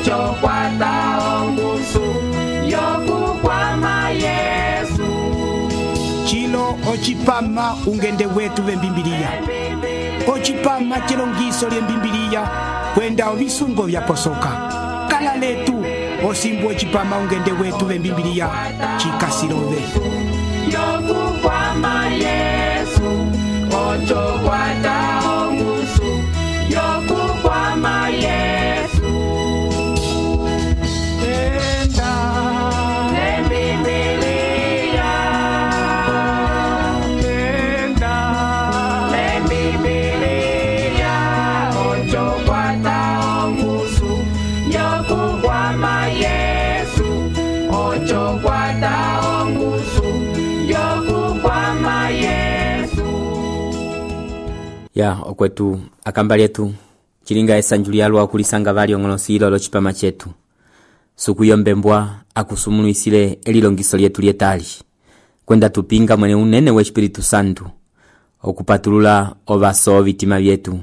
ocho kwata ongusu yokukwama Yesu. Chilo ochipama ungende wetu vembimbilia. Ochipama chilongiso lyembimbilia kwenda ovisungo vyaposoka. Kala letu osimbu ochipama ungende wetu vembimbilia chikasilove. Yokukwama Yesu, ocho kwata ongusu yokukwama Yesu. Enda lembibilia, enda lembibilia, ocho kwata ongusu yokukwama Yesu, ocho kwata ongusu yokukwama Yesu. Ya okwetu akamba lyetu chilinga esanjulia lwa kulisanga vali ongolosilo lo chipama chetu. Suku yombembwa akusumunuisile elilongiso lyetu lyetali. Kwenda tupinga mwene unene we Espiritu Santu. Okupatulula ovaso vitima vyetu.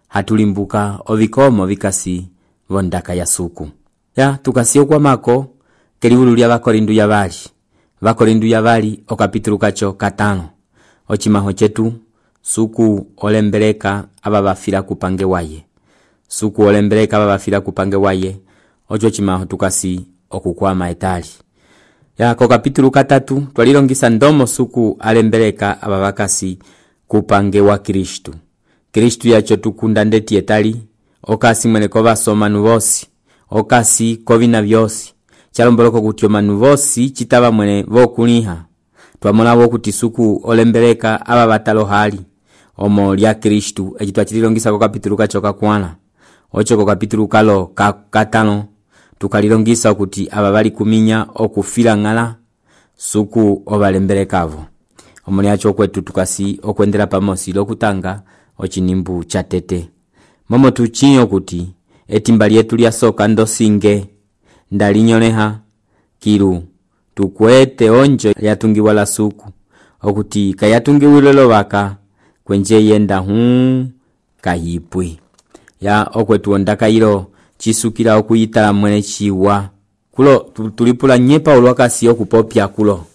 Hatulimbuka ovikomo vikasi vondaka ya suku. Ya tukasio kwa mako keliulu lya Vakorindu ya vali. Vakorindu ya vali okapitulu kacho 5. Ochimaho chetu suku olembeleka aba bafira kupange waye. Suku olembeleka aba bafira kupange waye. Ocho chimaho tukasi okukwama etali. Ya ko kapitulu 3 twalilongisa ndomo suku alembeleka aba bakasi kupange wa Kristu. Kristu yacho tukunda ndeti etali. Okasi mwene ko basoma nuvosi. Okasi kovina vyosi. Chalomboloko kutyo manuvosi chitaba mwene vokuliha. Twamona kuti suku olembeleka aba batalo hali. Omo lya Kristu ejitwa chililongisa ko kapitulu kacho kakwana. Ocho ko kapitulu kalo katano tukalilongisa kuti aba bali kuminya okufila ngala suku obalembelekavo. Omo lyacho kwetu tukasi okwendela pamosi lokutanga ochinimbu chatete. Momo tuchinyo kuti etimba lyetu lya soka ndosinge ndalinyoneha kiru tukwete onjo yatungiwa la suku okuti kayatungiwile lovaka kwenje yenda kahipwi. Ya okwetu ondaka ilo chisukila okuyitala mwene chiwa. Kulo tulipula nye Paulo wakasi okupopya kulo.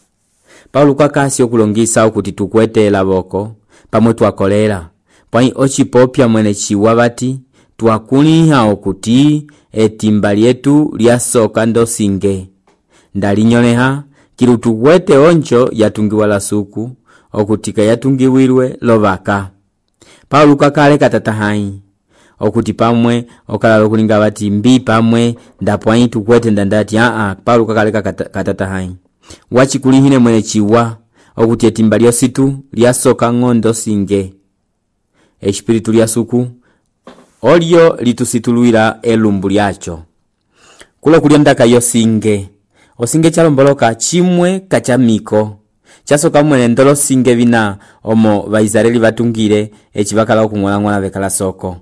Paulo wakasi okulongisa okuti tukwete laboko pamwe twakolera. Pwani ochipopya mwene chiwa bati twakuliha okuti etimba lyetu lya soka ndosinge ndalinyoneha kilu tukwete oncho yatungiwa la suku okutika yatungiwirwe lovaka. Paulo kakale katatahai okuti pamwe okala kulinga bati mbi pamwe ndapwani tukwete ndandati Paulo kakale katatahai wachikulihine mwene chiwa okuti etimba lyositu lya soka ngondo singe espiritu lya suku olio litusituluira elumbu lyacho. Kulo kuliondaka yosinge osinge chalomboloka chimwe kachamiko chasoka mwene ndolo singe vina omo Vaisraeli batungire echibakala okung'ola bekala soko.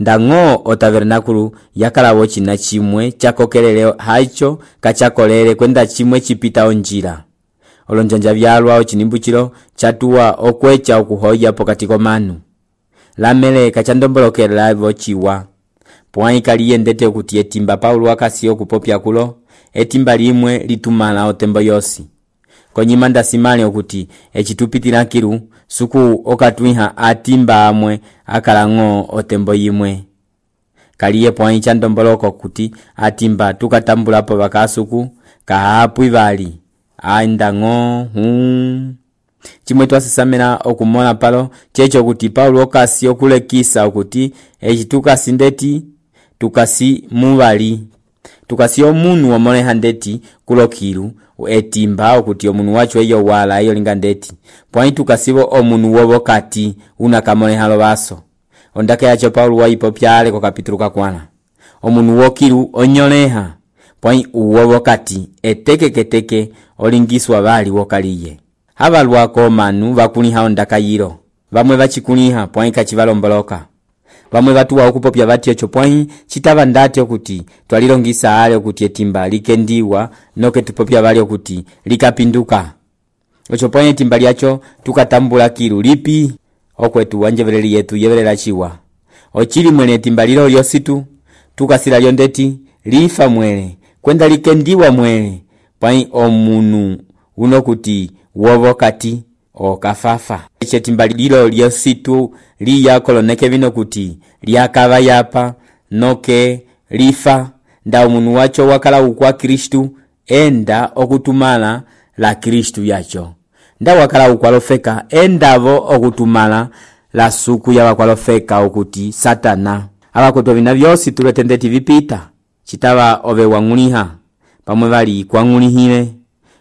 Ndango o tabernakulu yakalawo china chimwe chakokelele hacho kachakolele kwenda chimwe chipita onjira. Olonjanja byalwa ochinimbu chilo chatuwa okwecha okuhoya pokati komanu. Lamele kachandombolokela vochiwa. Pwani kaliyendete okuti etimba Paulo wakasi okupopya kulo etimba limwe litumala otembo yosi. Konyimanda simali okuti echitupitira kiru suku okatwiha atimba amwe akalango otembo yimwe. Kaliye pwani chandomboloko okuti atimba tukatambulapo bakasuku kahapu ivali. Aindango chimwe twasisamena okumona palo checho kuti Paulo okasi okulekisa okuti echituka ndeti tukasi muvali tukasi omunu omone handeti kulokiru etimba okuti omunu wacho eyo wala eyo linga ndeti pwani tukasibo omunu wobokati unakamone halo baso ondake yacho Paulo waipopyale ko kapitulu kakwana omunu wokiru onyoleha pwani uwobokati etekeketeke olingiswa bali wokaliye. Habalwako manu bakuniha ondaka yiro. Bamwe bachikuniha pwani kachibalomboloka. Bamwe batuwa okupopya bati echo pwani chitaba ndati okuti twalilongisa ale okuti etimba likendiwa noke tupopya bali okuti likapinduka. Ocho pwani etimba lyacho tukatambula kiru lipi okwetu wanjevereli yetu yeverela chiwa. Ochili mwene etimba lilo lyositu tukasila lyondeti lifa mwele kwenda likendiwa mwele pwai omunu uno kuti wovokati okafafa. Echetimba lilo lyositu liyakoloneke vino kuti lyakava yapa noke lifa nda omunu wacho wakala ukwa Kristu enda okutumala la Kristu yacho. Nda wakala ukwalofeka endavo okutumala la suku ya wakwalofeka okuti Satana. Abakoto vina vyosi tuletendeti vipita chitava ove wang'uliha pamwe vali kwang'ulihile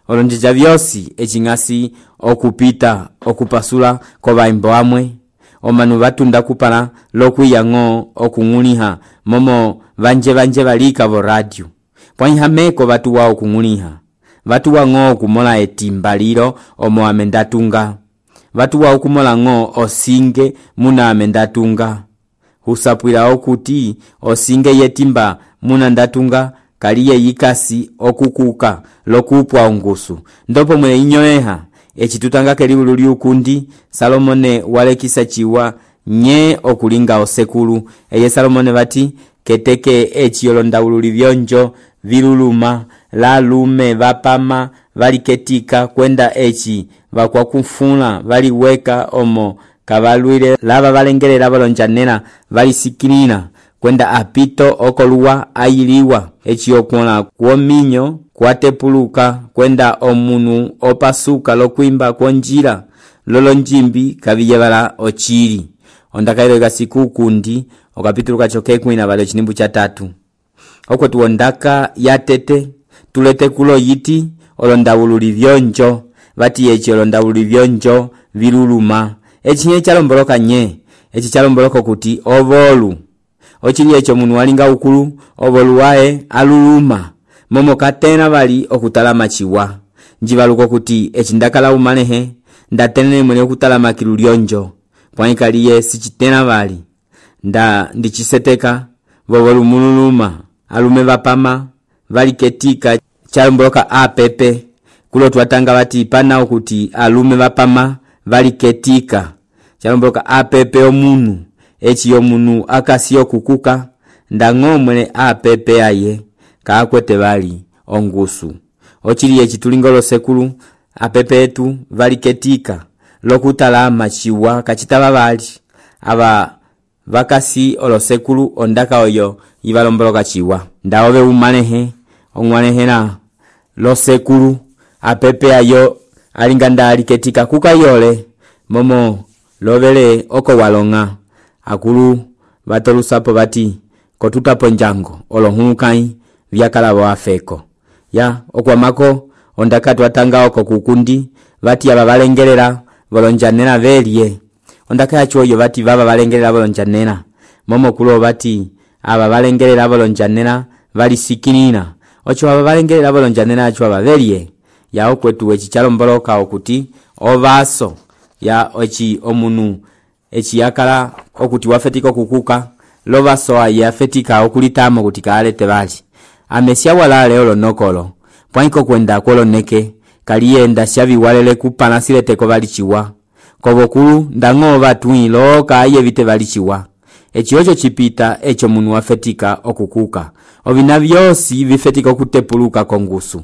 olonjeja vyosi echingasi okupita okupasula kovaimbo amwe omanu vatunda kupala lokuyang'o okung'uliha momo vanje valika vo radio pwaihameko vatu wao kung'uliha vatu wang'o kumola etimba lilo omo amendatunga vatu wao kumola ng'o osinge muna amendatunga husapwila okuti osinge yetimba muna ndatunga kaliye yikasi okukuka lokupwa ongusu ndopo mwele inyoeha echitutanga keliulu liukundi Salomone walekisa chiwa nye okulinga osekulu eye Salomone vati keteke echiyolondaulu livyonjo viluluma la lume vapama valiketika kwenda echi vakwakufuna valiweka omo kavalwile lava valengelela valonjanela valisikilina kwenda apito okoluwa ayiliwa echiyokuola kuominyo kwatepuluka kwenda omunu opasuka lokwimba konjila lolonjimbi kaviyevala ochili ondakailo kasiku kundi okapituluka chokekwina vale chinimbu cha 3 okwetu ondaka yatete tulete kulo yiti olondawululi vyonjo vati echi olondawululi vyonjo viluluma echinye chalomboloka nye echi chalomboloka kuti ovolu ochili echo munu walinga ukulu ovolu wae aluluma momo katena vali okutalama chiwa njivaluko kuti echindakala umalehe ndatene mwene okutalama kilulyonjo pwaikaliye sichitena vali nda ndichiseteka vovolu mululuma alume vapama vali ketika chalomboloka apepe kulo twatanga vati pana okuti alume vapama vali ketika chalomboloka apepe omunu echi yomunu akasiyo kukuka ndang'o mwele apepe aye kaakwete vali ongusu ochili echi tulingolo sekulu apepe etu vali ketika lokutalama chiwa kachitava vali ava vakasi olosekulu ondaka oyo ivalomboloka chiwa ndaove umalehe ong'walehela losekulu apepe ayo alinga ndali ketika kukayole momo lovele oko walonga akulu vatolusapo vati kotutapo njango olohukai vyakala wafeko ya okwamako ondaka twatanga oko kukundi vati aba valengelela volonjanela velye ondaka yachoyo vati vava valengelela volonjanela momo kulo vati aba valengelela volonjanela valisikilina ocho aba valengelela volonjanela acho aba velye ya okwetu echichalomboloka okuti ovaso ya ochi omunu echi yakala okuti wafetika kukuka lovaso aye afetika okulitamo kuti kaalete vali amesia walale olonokolo pwaiko kwenda koloneke kaliyenda shaviwalele kupanasileteko vali chiwa kovokulu ndang'o vatui loka aye vite vali chiwa echi ocho chipita echo munu wafetika okukuka ovina vyosi vifetika okutepuluka kongusu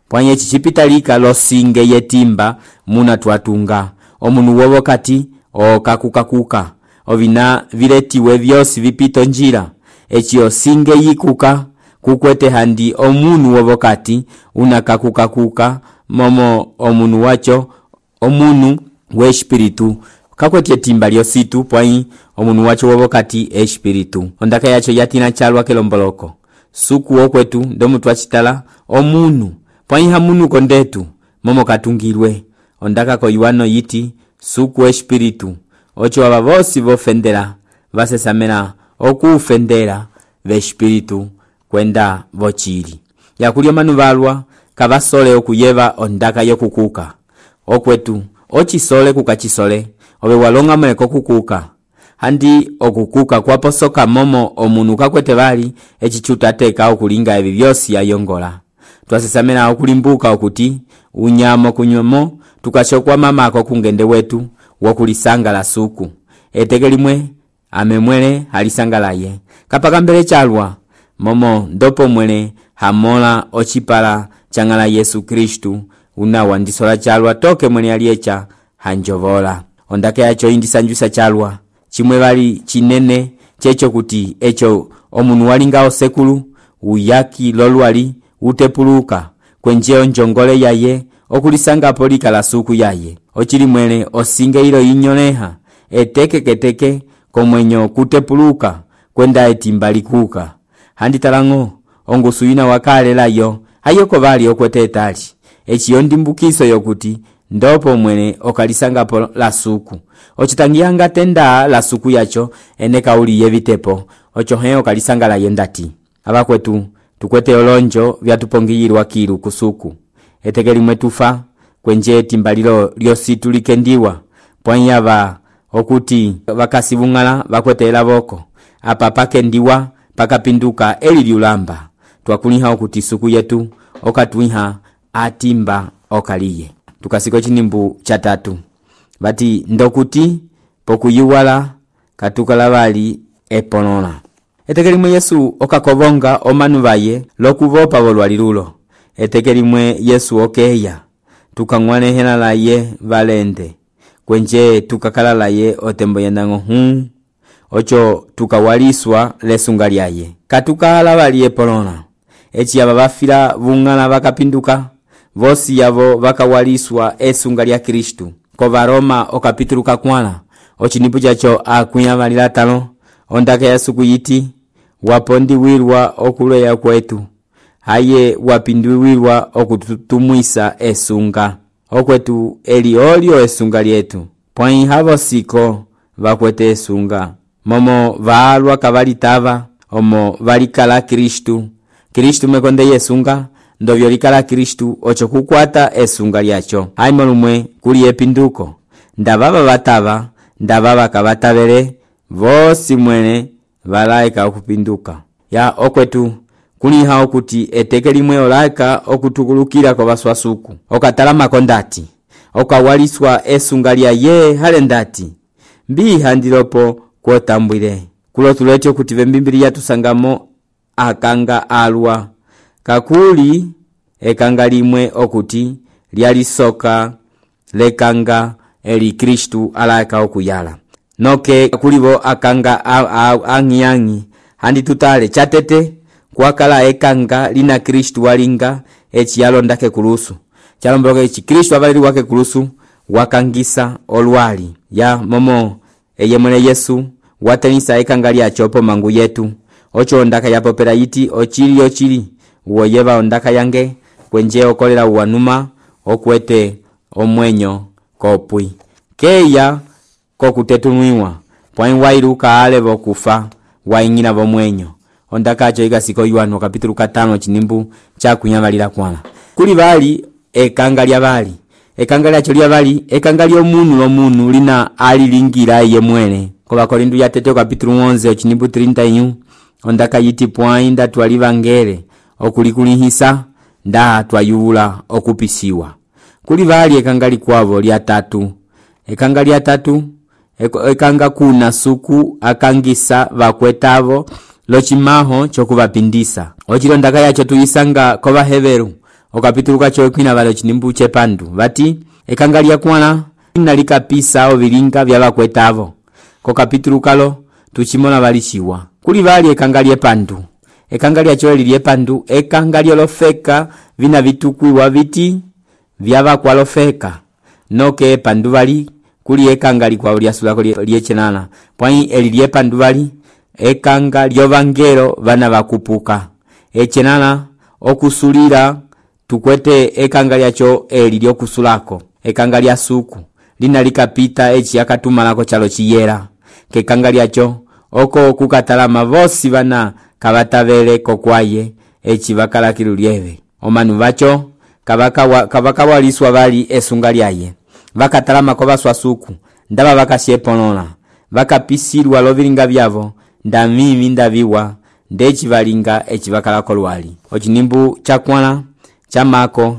pwanye echi chipita lika losinge yetimba muna twatunga omunu wovokati okakukakuka ovina viletiwe vyosi vipito njira echi osinge yikuka kukwete handi omunu wovokati unakakukakuka momo omunu wacho omunu wespiritu kakwete etimba lyositu pwai omunu wacho wovokati espiritu ondaka yacho yatina chalwa kelomboloko suku okwetu ndomu twachitala omunu pwai hamunu kondetu momo katungirwe ondaka koiwano yiti suku espiritu ocho aba vosi vofendela vasesamela okufendela vespiritu kwenda vochili yakulya manu valwa kavasole okuyeva ondaka yokukuka okwetu ochisole kukachisole ove walonga mweko kukuka handi okukuka kwaposoka momo omunu kakwete vali echichutateka okulinga evi vyosi ayongola twasesamela okulimbuka okuti unyamo kunyomo tukachokwa mamako kungende wetu wokulisanga la suku etekelimwe amemwele halisanga laye kapaka mbele chalwa momo ndopo mwene hamola ochipala changala Yesu Kristu una wandisola chalwa toke mwene aliecha hanjovola. Ondake yacho indisanjusa chalwa chimwe bali chinene checho kuti echo omunu walingao sekulu uyaki lolwali utepuluka kwenjeo njongole yaye okulisanga polika la suku yaye ochili mwene osinge ilo inyoneha etekeketeke komwenyo kutepuluka kwenda etimbalikuka handitalango ongusu ina wakalelayo ayoko bali okwetetali echiyo ndimbukiso yokuti ndopo mwene okalisanga po la suku ochitangiyanga tenda la suku yacho ene kauli yevitepo ochohe okalisanga la yendati abakwetu tukwete olonjo vyatupongiyirwa kilu kusuku etekeli mwetufa kwenje timbalilo lyositu likendiwa pwanyaba okuti bakasibungala bakwetela boko apa pakendiwa pakapinduka eli lyulamba twakuliha okuti suku yetu okatwiha atimba okaliye. Tukasiko chinimbu cha 3 bati ndokuti pokuyuwala katukala bali eponona etekelimwe Yesu okakobonga omanu baye lokuvopa bolwalilulo etekelimwe Yesu okeya tukangwane hena laye valende kwenje tukakala laye otembo yendango ocho tukawaliswa lesunga lyaye katukala bali eponona echi aba bafira bungana bakapinduka vosi yavo vakawaliswa esunga lya Kristu ko Baroma okapituluka kwana ochinipu chacho akuyamalira 5 ondake ya suku yiti wapondi wirwa okuleya kwetu haye wapinduwirwa okutumwisa esunga okwetu eliolio esunga lyetu pwai havo siko vakwete esunga momo vaalwa kavalitava omo valikala Kristu mekonde yesunga ndovyo likala Kristu ocho kukwata esunga lyacho haimo lumwe kuli epinduko ndababa batava ndababa kabatavele vosi mwene valaika okupinduka ya okwetu kuli hao kuti eteke limwe olaika okutukulukira kwa baswasuku okatala makondati okawaliswa esunga lya ye halendati mbi handilopo kwotambwire kulotulecho kuti vembimbiri yatusangamo akanga alwa kakuli ekanga limwe okuti lyalisoka lekanga eli Kristu alaika okuyala noke kulibo akanga angiangi handi tutale chatete kwakala ekanga lina Kristu walinga echiyalo ndake kulusu chalomboka echi Kristu abaliri wake kulusu wakangisa olwali ya momo eyemwene Yesu watenisa ekanga lyachopo mangu yetu ocho ndaka yapopera yiti ochili uoyeva ondaka yange kwenje okolera uwanuma okwete omwenyo kopwi keya kokutetunuiwa pwai wairuka ale bokufa waingina bomwenyo ondaka acho igasiko Yohana kapitulu 5 chinimbu cha kunyamalira kwana kuli bali ekanga lya bali ekanga lyacho lya bali ekanga lyo munu lina alilingira yemwene ko Bakorinto ya 3 kapitulu 11 chinimbu 31 ondaka yiti pwai ndatwalivangere okulikulihisa nda twayula okupisiwa kuli bali ekanga likwavo lya 3 ekanga lya 3 ekanga kuna suku akangisa bakwetavo lochimaho chokubapindisa ochilo ndaka yacho tuyisanga ko baheberu okapituluka cho kwina balo chinimbu chepandu bati ekanga lya kwana nalikapisa obilinga bya bakwetavo ko kapitulukalo tuchimona balishiwa kuli bali ekanga lye pandu ekanga lyacho lye pandu ekanga lyolofeka vina vitukwiwa biti vyaba kwalofeka noke pandu bali kuli ekanga likwa lyasulako lyechenana pwai eli lye pandu bali ekanga lyovangelo bana bakupuka echenana okusulira tukwete ekanga lyacho eli lyokusulako ekanga lya suku lina likapita echi yakatumalako chalo chiyera kekanga lyacho oko kukatalama vosi bana kabatavele kokwaye echi bakalakiru lyeve omanu bacho kabaka waliswa bali esunga lyaye bakatalama ko baswasuku ndaba bakasyeponona bakapisirwa lobilinga byavo ndamimi ndabiwa ndechi balinga echi bakalako lwali ochinimbu chakwana chamako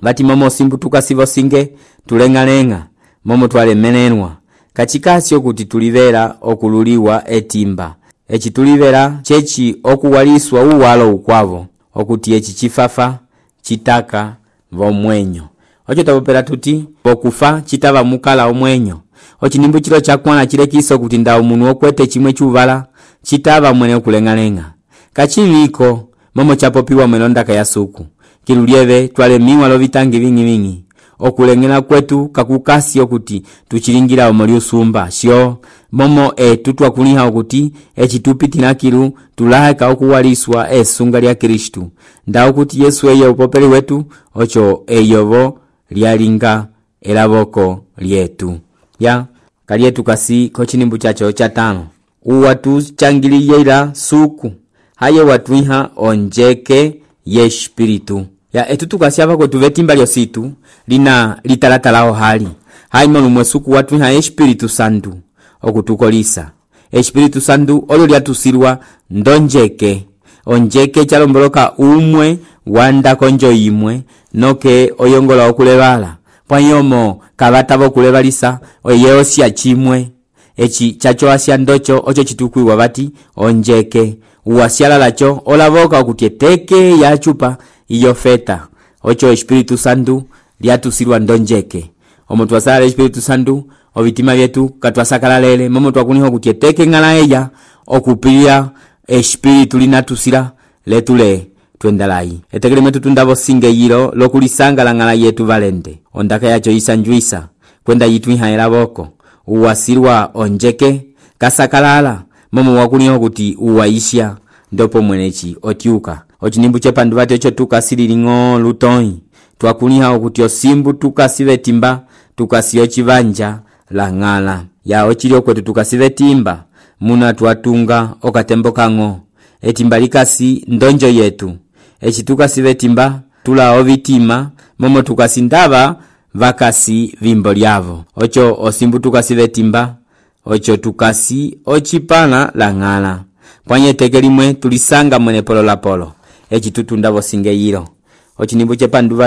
bati momo simbu tukasivo singe tulengalenga momo twalemenenwa kachikasi okuti tulivera okululiwa etimba eci tulivera ceci okuwaliswa uwalo ukwavo okuti eci cifafa citaka vomwenyo. Ocho tapopera tuti pokufa citava mukala omwenyo. Ochinimbu chilo chakwana chilekiso kuti nda umunu okwete chimwe chuvala citava mwene okulenga-lenga. Kachiviko momo chapopiwa mwelondaka ya suku. Kilulieve twalemiwa lovitangi vingi okulengela kwetu kakukasi okuti tuchilingira omoli usumba sio momo tutwa kuliha okuti echitupitina kilu tulaheka okuwaliswa esunga lya Kristu nda okuti Yesu eye upopeli wetu ocho eyovo lyalinga elavoko lyetu ya kalietu kasi kochinimbu chacho chatano uwatu changiliyela suku haye watuiha onjeke ye espiritu ya etutukasiava kwetu vetimba lyositu lina litalatalao hali haimo lumwe suku watuiha espiritu santu okutukolisa espiritu santu olo lyatusilwa ndonjeke onjeke chalomboloka umwe wanda konjo imwe noke oyongola okulevala pwanyomo kavatava okulevalisa oyeosya chimwe echi chacho asya ndocho ocho chitukwiwa vati onjeke uwasyala lacho olavoka okuti teke ya chupa iyo feta ocho espiritu santu lyatusilwa ndonjeke omo twasala espiritu santu ovitima vyetu katwasakala lele momo twakuniho okuti teke ngala eya okupilya espiritu linatusila letule twendalai etekele metu tundavo singe yilo lokulisanga la ngala yetu valente ondaka yacho isanjuisa kwenda yitu ihaela boko uwasilwa onjeke kasakalala momo wakuniho okuti uwaisha ndopo mwenechi otiuka ochinimbu chepandu vati ocho tukasililingo lutoi twakuniha okuti osimbu tukasive timba tukasiyo chivanja la ngala ya ochilio kwetu tukasive timba muna twatunga okatembo kango etimba likasi ndonjo yetu echi tukasive timba tula ovitima momo tukasindava vakasi vimbo lyavo ocho osimbu tukasive timba ocho tukasi ochipana la ngala pwanye teke limwe tulisanga mwene polo la polo echi tutundavo singe yilo ochinimbu chepandu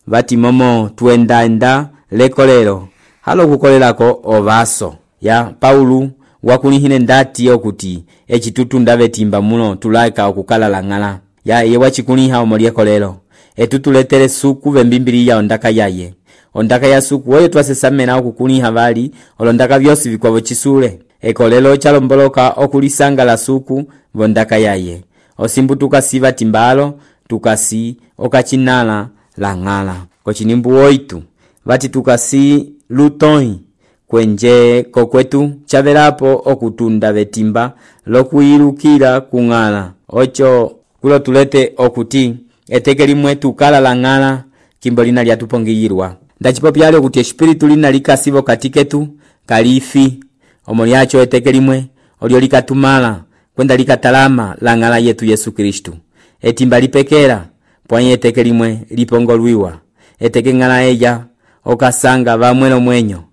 vati momo tuenda lekolero halo kukolelako ovaso ya Paulu wakulihine ndati okuti echi tutundave timba muno tulaika okukala la ngala ya yewa chikuliha omoliekolero etutuletere suku vembimbili ya ondaka yaye ondaka ya suku oyo twasesamena okukuliha vali olondaka vyosi vikwavo chisule ekolelo chalomboloka okulisanga la suku vondaka yaye osimbu tukasiva timbalo tukasi okachinala la ngala kochinimbu oitu vati tukasi lutoi kwenje kokwetu chavelapo okutunda vetimba lokuilukila kungala ocho kulo tulete okuti eteke limwe tukala la ngala kimbo lina lyatupongiyirwa ndachipopyale okuti espiritu lina likasivo katiketu kalifi omo lyacho eteke limwe olio likatumala kwenda likatalama la ngala yetu Yesu Kristu etimba lipekera pwanye eteke limwe lipongolwiwa eteke ngala eya okasanga vamwelo mwenyo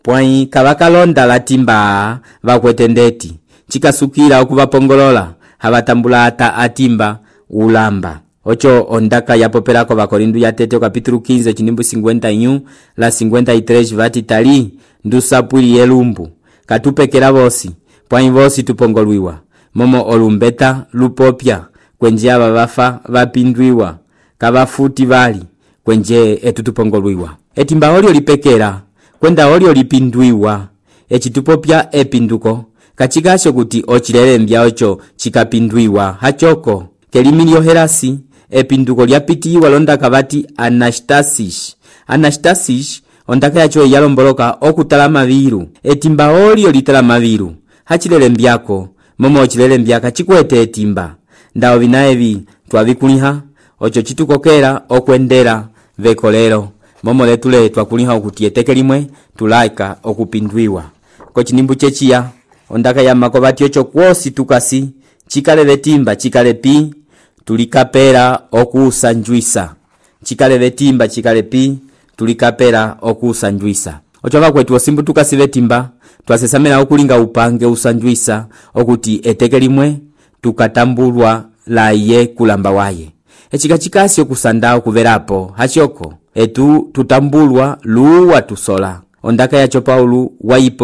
pwanyi kavakalonda latimba vakwetendeti chikasukila okuvapongolola havatambula ata atimba ulamba ocho ondaka yapopelako vakorindu ya tete kapitulu 15 chinimbu 51 la 53 vati tali ndusapwili yelumbu katupekera vosi pwanyi vosi tupongolwiwa momo olumbeta lupopya kwenje ava vafa vapindwiwa kavafuti vali kwenje etutupongolwiwa etimba olio lipekera kwenda olio lipindwiwa echitupopya epinduko kachikasho kuti ochilelembya ocho chikapindwiwa hachoko kelimilio herasi epinduko lyapitiwa londaka vati anastasis ondaka yacho yalomboloka okutala maviru etimba olio litala maviru hachilelembyako momo ochilelembya chikwete etimba ndawo vinaevi twavikuliha ocho chitukokera okwendera vekolero momo letule twakuliha okuti eteke limwe tulaika okupindwiwa kochinimbu chechiya ondaka ya makovati ocho kwosi tukasi chikale vetimba chikale pi tulikapera okusanjuisa chikale vetimba chikale pi tulikapera okusanjuisa ocho vakwetu osimbu tukasi vetimba twasesamela okulinga upange usanjuisa okuti eteke limwe tukatambulwa la ye kulamba waye echikachikasi okusanda okuverapo hachoko etu tutambulwa luwa tusola ondaka yacho Paulu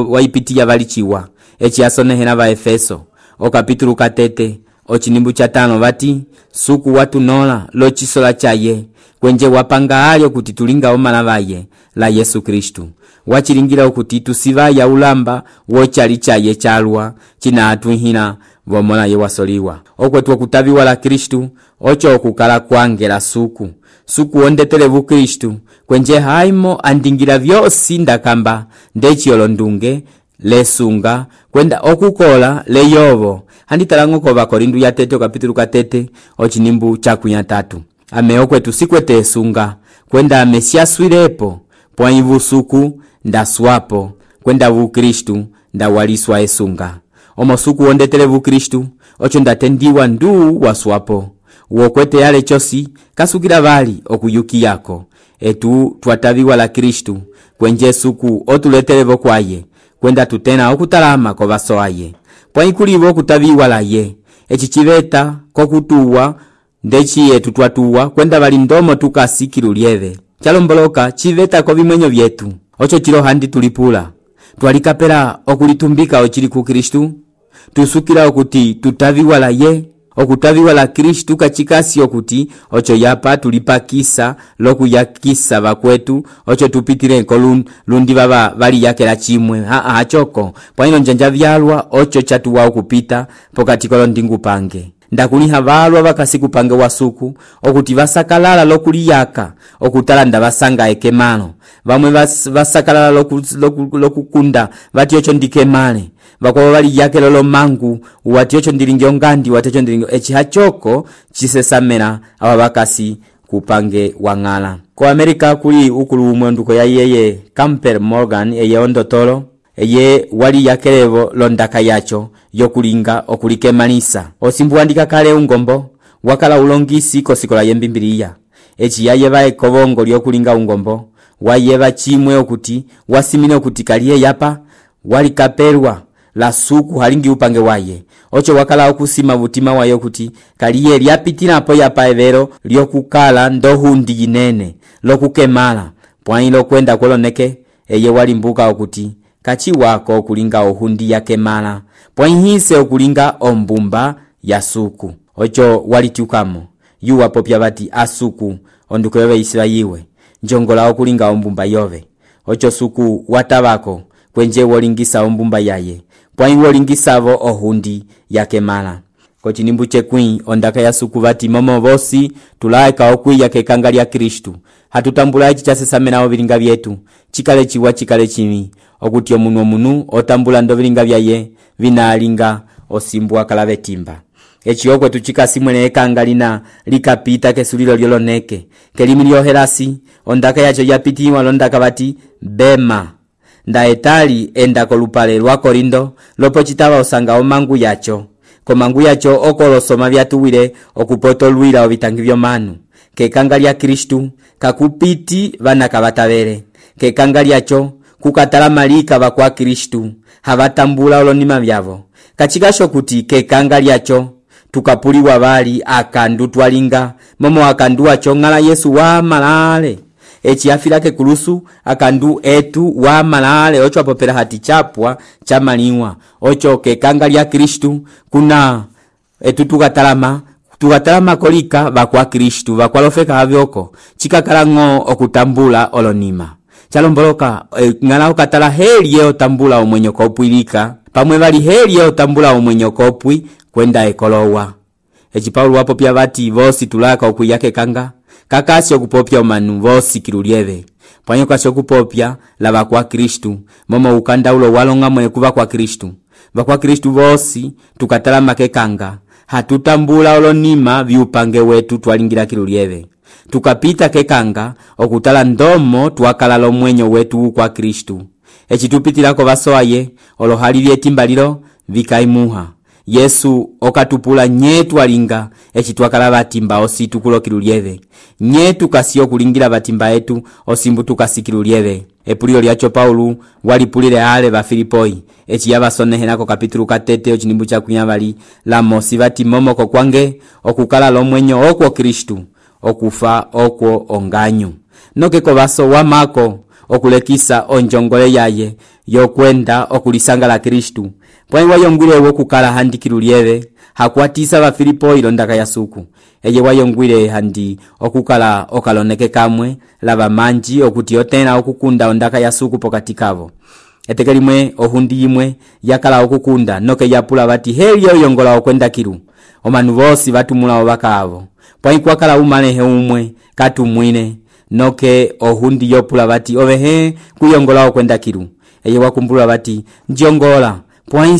waipitiya valichiwa echi asonehena va Efeso o kapitulu 4 ochinimbu cha 5 vati suku watunola lo chisola chaye kwenje wapanga alyo kuti tulinga omala vaye la Yesu Kristu wachilingira kuti tusivaya ulamba wochali chaye chalwa china atuhina vomola ye wasoliwa okwetu kutaviwa la Kristu ocho okukala kwangela suku ondetelevu Kristu kwenje haimo andingira vyosi ndakamba ndechiyolo ndunge lesunga kwenda okukola leyovo handitalango ko Bakorindu ya 3 kapitulu 4 ochinimbu cha 3 ame okwetu sikwete sunga kwenda amesiaswirepo pwaivu suku ndaswapo kwenda vu Kristu ndawaliswa esunga omosuku ondetelevu Kristu ocho ndatendiwa ndu waswapo wokwete yale chosi kasukira vali okuyuki yako etu twataviwa la Kristu kwenje suku otuletelevo kwaye kwenda tutena okutalama ko vasoaye pwaikulivo okutaviwa la ye echichiveta kokutuwa ndechiye tutwatuwa kwenda vali ndomo tukasikilu lyeve chalomboloka chiveta ko vimwenyo vyetu ocho chilo handi tulipula twalikapela okulitumbika ochili ku Kristu tusukira okuti tutaviwa la ye okutaviwa la Kristu kachikasi okuti ocho yapa tulipakisa lokuyakisa vakwetu ocho tupitire ko lundi baba vali yake la chimwe achoko pwaino njanja vyalwa ocho chatuwa okupita pokati kolo ndingu pange ndakuliha valwa vakasiku pange wasuku okuti vasakalala lokuliyaka okutalanda vasanga ekemalo vamwe vasakalala lokukunda vati ocho ndikemale vakwa vali yake lolo mangu wati ocho ndilingi ongandi wati ocho ndilingi echihachoko chisesamera awa vakasi kupange wangala ko Amerika kuli ukulu umwenduko ya yeye Campbell Morgan eye ondotolo eye wali yakelevo londaka yacho yokulinga okulikemalisa osimbu andika kale ungombo wakala ulongisi kosikola yembimbiliya echi yayeva ekobongo lyokulinga ungombo wayeva chimwe okuti wasimine okuti kaliye yapa wali kapelwa la suku halingi upange waye ocho wakala okusima vutima wayo kuti kaliye lyapitira apo yapa evero lyokukala ndohundi yinene lokukemala pwailo kwenda koloneke eye wali mbuka okuti kachi wako okulinga ohundi yakemala pwaihise okulinga ombumba ya suku ocho walitukamo yuwa popya vati asuku onduko yove Israyiwe njongola okulinga ombumba yove ocho suku watavako kwenje wolingisa ombumba yaye pwai wolingisavo ohundi yakemala kochinimbu chekwi ondaka ya suku vati momo vosi tulaika okwiya kekanga lya Kristu hatutambula ichi chasesamena ovilinga vyetu chikale chiwa chikale chimi okuti omunu otambula ndo vilinga vyaye vinalinga osimbwa kalave timba echi okwe tuchikasimwene ekanga lina likapita kesulilo lyoloneke kelimi lyoherasi ondaka yacho yapitiwa londaka vati bema nda etali enda kolupale lwa Korindo lopo chitava osanga omangu yacho komangu yacho okolosoma vyatuwile okupoto lwila ovitangi vyomanu kekanga lya Kristu kakupiti vana kavatavele kekanga lyacho kukatala malika vakwa Kristu havatambula olonima vyavo kachikasho kuti kekanga lyacho tukapuliwa vali akandu twalinga momo akandu wacho ngala Yesu wa malale echi afilake kulusu akandu etu wa malale ocho apopera hati chapwa chamaliwa ocho kekanga lya Kristu kuna etu tukatalama kolika vakwa Kristu vakwalofeka havyoko chikakalango okutambula olonima chalomboloka ngala okatala heli ye otambula omwenyo kopwilika pamwe vali heli ye otambula omwenyo kopwi kwenda ekolowa echi Paulo wapopya vati vosi tulaka okuyake kanga kakasi okupopya omanu vosi kilulyeve pwanyo kasi okupopya lava kwa Kristu momo ukanda ulo walonga mwe kuva kwa Kristu vakwa Kristu vosi tukatalama kekanga hatutambula olonima viupange wetu twalingira kilulyeve tukapita kekanga okutala ndomo twakala omwenyo wetu kwa Kristu echi tupitirako vasoaye olohali vyetimbalilo vikaimuha Yesu okatupula nyetu alinga echi twakala batimba ositu kulokilulyeve nyetu kasiyo kulingira batimba etu osimbu tukasikilulyeve epulio lyacho Paulo walipulire ale ba Filipoi echi yabasonehenako kapitulu 3 ochinimbu cha kunyavali la mosi bati momoko kwange okukala lomwenyo okwo Kristu okufa okwo onganyu nokeko baso wamako okulekisa onjongole yaye yokwenda okulisanga la Kristu pwai wayongwile wokukala handi kilulieve hakwatisa va Filipo ilondaka ya suku eye wayongwile handi okukala okaloneke kamwe lava manji okuti otena okukunda ondaka ya suku pokati kavo. Eteke limwe ohundi yimwe yakala okukunda noke yapula vati heli oyongola okwenda kilu omanu vosi vatumula ovaka avo pwai kwakala umalehe umwe katumwine noke ohundi yopula vati ovehe kuyongola okwenda kilu eye wakumbula vati njongola pwai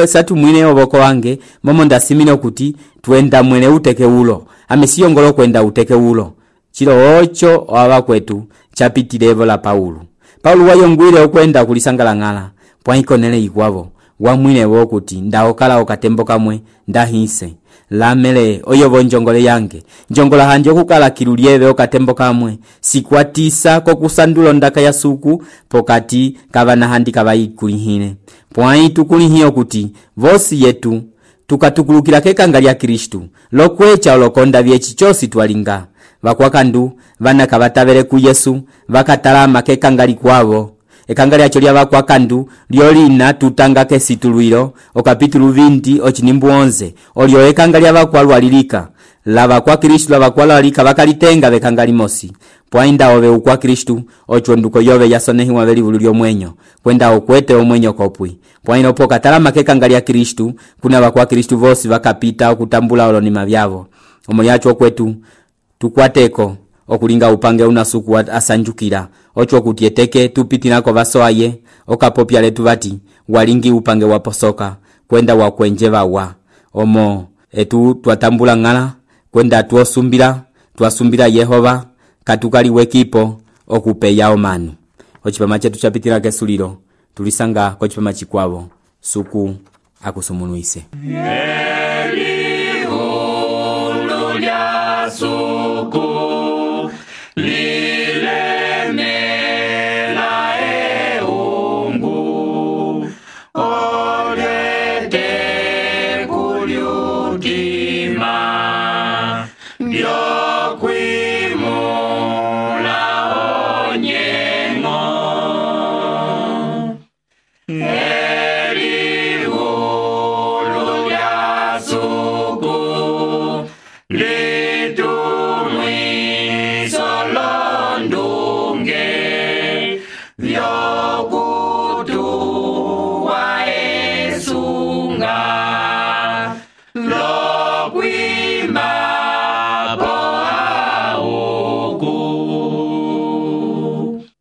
satumwine ovoko wange momo ndasimine okuti tuenda mwene uteke ulo amesiyongolo kwenda uteke ulo chilo ocho owava kwetu chapitilevo la Paulo wayongwile okwenda kulisangalangala pwai konele ikwavo wamwine wokuti ndaokala okatembo kamwe ndahise lamele oyovo njongole yange njongola handi okukala kilulieve okatembo kamwe sikwatisa kokusandula ondaka ya suku pokati kavana handi kavayikulihine pwai tukulihie okuti vosi yetu tukatukulukila kekanga lya Kristu lokwecha olokonda vyechi chosi twalinga vakwakandu vana kavatavele ku Yesu vakatalama kekanga likwavo ekanga lyacho lya vakwakandu lyolina tutanga kesitulwilo okapitulu 20 ochinimbu 11 olyo ekanga lya vakwalwalilika lava kwa Kristu lava kwalwalika vakalitenga vekanga limosi pwainda ove ukwa Kristu ochonduko yove yasonehiwa velivulu lyomwenyo kwenda okwete omwenyo kopwi pwaino poka talama kekanga lya Kristu kuna vakwa Kristu vosi vakapita okutambula olonima vyavo omo yacho kwetu tukwateko okulinga upange unasuku asanjukira ocho kutieteke tupitinako vasoaye okapopya letu vati walingi upange waposoka kwenda wakwenjeva wa omo etu twatambula ngala kwenda twasumbira Yehova katukali wekipo okupeya omanu ochipama chetu chapitira kesuliro tulisanga kochipama chikwavo suku akusumunuise suku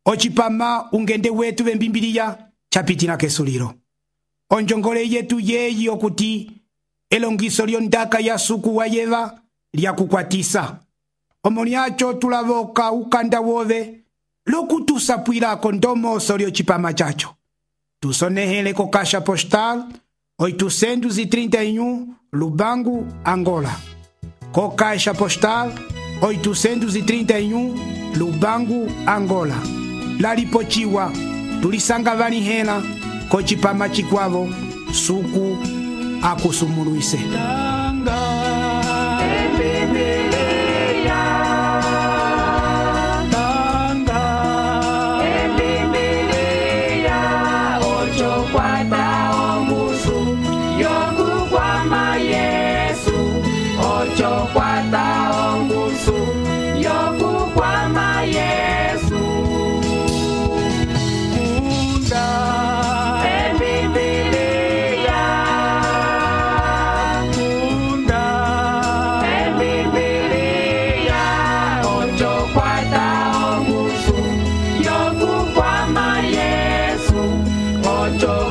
ochipama ungende wetu vembimbiliya chapitila kesuliro onjongole yetu yeyi okuti elongiso lyondaka ya suku wa Yeva lyakukwatisa omo lyacho tulavoka ukanda wove lokutusapwilako ndomoso lyochipama chacho tusonehele ko Caixa Postal 831 Lubangu, Angola. Co Caixa Postal 831 Lubangu, Angola. Lalipochiwa tulisanga valihela kochipama chikwavo suku akusumuluise. Ocho